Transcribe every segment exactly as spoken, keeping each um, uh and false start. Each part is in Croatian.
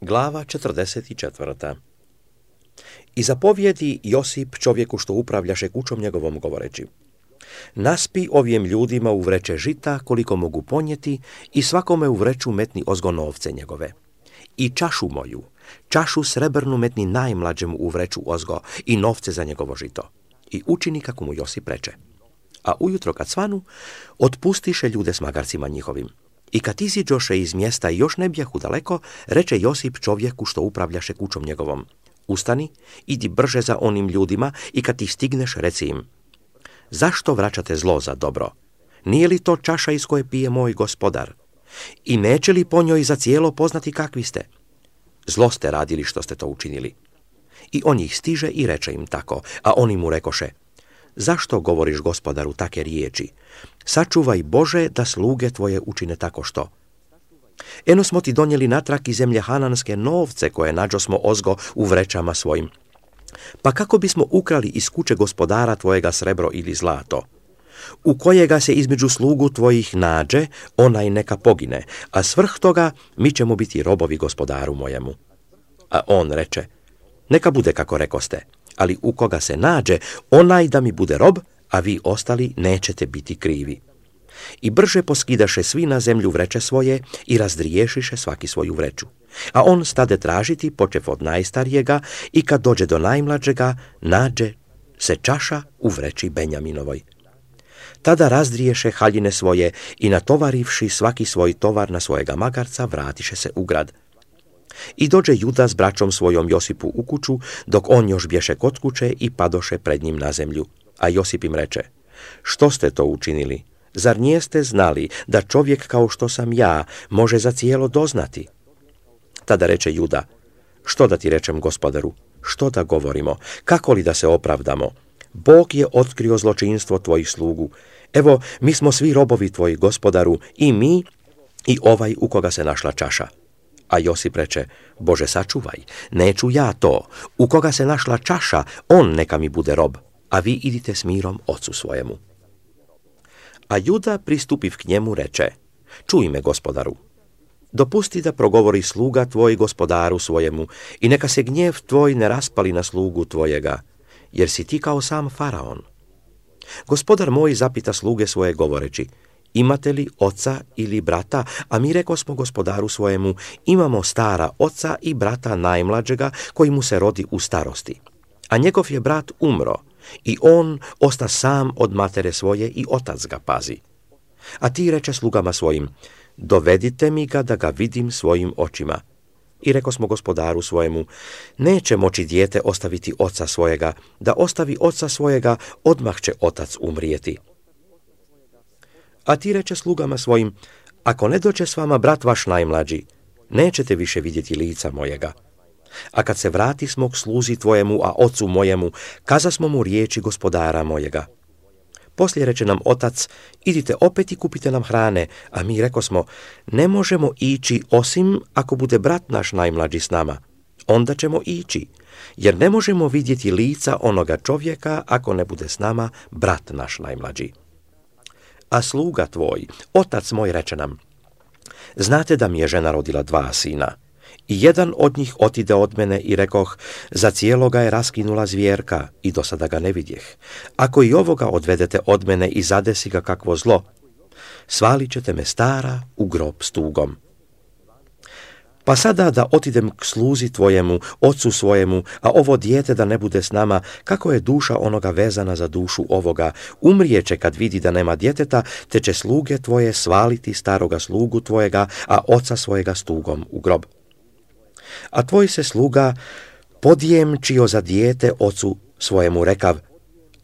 Glava četrdeset četvrta. I zapovjedi Josip čovjeku što upravljaše kućom njegovom govoreći: naspi ovim ljudima u vreće žita koliko mogu ponijeti i svakome u vreću metni ozgo novce njegove. I čašu moju, čašu srebrnu metni najmlađemu u vreću ozgo i novce za njegovo žito. I učini kako mu Josip reče. A ujutro kad svanu, otpustiše ljude s magarcima njihovim. I kad iziđoše iz mjesta i još ne bjahu daleko, reče Josip čovjeku što upravljaše kućom njegovom: ustani, idi brže za onim ljudima i kad ih stigneš reci im: zašto vraćate zlo za dobro? Nije li to čaša iz koje pije moj gospodar? I neće li po njoj za cijelo poznati kakvi ste? Zlo ste radili što ste to učinili. I on ih stiže i reče im tako, a oni mu rekoše: zašto govoriš gospodaru take riječi? Sačuvaj Bože da sluge tvoje učine tako što. Eno smo ti donijeli natrag iz zemlje Hananske novce koje nađosmo ozgo u vrećama svojim. Pa kako bismo ukrali iz kuće gospodara tvojega srebro ili zlato? U kojega se između slugu tvojih nađe, onaj neka pogine, a svrh toga mi ćemo biti robovi gospodaru mojemu. A on reče: neka bude kako rekoste, ali u koga se nađe, onaj da mi bude rob, a vi ostali nećete biti krivi. I brže poskidaše svi na zemlju vreće svoje i razdriješiše svaki svoju vreću. A on stade tražiti, počev od najstarijega, i kad dođe do najmlađega, nađe se čaša u vreći Benjaminovoj. Tada razdriješe haljine svoje i natovarivši svaki svoj tovar na svojega magarca, vratiše se u grad. I dođe Juda s braćom svojom Josipu u kuću, dok on još bješe kod kuće, i padoše pred njim na zemlju. A Josip im reče: što ste to učinili? Zar nijeste znali da čovjek kao što sam ja može za cijelo doznati? Tada reče Juda: što da ti rečem, gospodaru? Što da govorimo? Kako li da se opravdamo? Bog je otkrio zločinstvo tvojih slugu. Evo, mi smo svi robovi tvoji, gospodaru, i mi i ovaj u koga se našla čaša. A Josip reče: Bože sačuvaj, neću ja to. U koga se našla čaša, on neka mi bude rob, a vi idite s mirom ocu svojemu. A Juda pristupiv k njemu reče: čuj me, gospodaru. Dopusti da progovori sluga tvoj gospodaru svojemu i neka se gnjev tvoj ne raspali na slugu tvojega, jer si ti kao sam faraon. Gospodar moj zapita sluge svoje govoreći: imate li oca ili brata? A mi rekosmo gospodaru svojemu: imamo stara oca i brata najmlađega koji mu se rodi u starosti. A njegov je brat umro i on osta sam od matere svoje i otac ga pazi. A ti reče slugama svojim: dovedite mi ga da ga vidim svojim očima. I rekosmo gospodaru svojemu: neće moći dijete ostaviti oca svojega, da ostavi oca svojega, odmah će otac umrijeti. A ti reče slugama svojim: ako ne dođe s vama brat vaš najmlađi, nećete više vidjeti lica mojega. A kad se vrati smo k sluzi tvojemu, a ocu mojemu, kazasmo mu riječi gospodara mojega. Poslije reče nam otac: idite opet i kupite nam hrane, a mi rekosmo: ne možemo ići osim ako bude brat naš najmlađi s nama. Onda ćemo ići, jer ne možemo vidjeti lica onoga čovjeka ako ne bude s nama brat naš najmlađi. A sluga tvoj, otac moj, reče nam: znate da mi je žena rodila dva sina. I jedan od njih otide od mene i rekoh: za cijeloga je raskinula zvjerka i do sada ga ne vidjeh. Ako i ovoga odvedete od mene i zadesi ga kakvo zlo, svalit ćete me stara u grob s tugom. Pa sada da otidem k sluzi tvojemu, ocu svojemu, a ovo dijete da ne bude s nama, kako je duša onoga vezana za dušu ovoga, umrijeće kad vidi da nema djeteta, te će sluge tvoje svaliti staroga slugu tvojega, a oca svojega s tugom u grob. A tvoj se sluga podjemčio za dijete ocu svojemu rekav: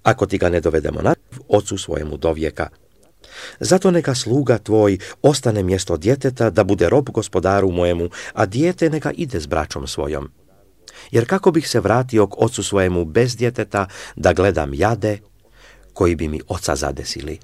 ako ti ga ne dovedemo na ocu svojemu do vijeka. Zato neka sluga tvoj ostane mjesto djeteta da bude rob gospodaru mojemu, a dijete neka ide s braćom svojom. Jer kako bih se vratio k ocu svojemu bez djeteta da gledam jade koji bi mi oca zadesili?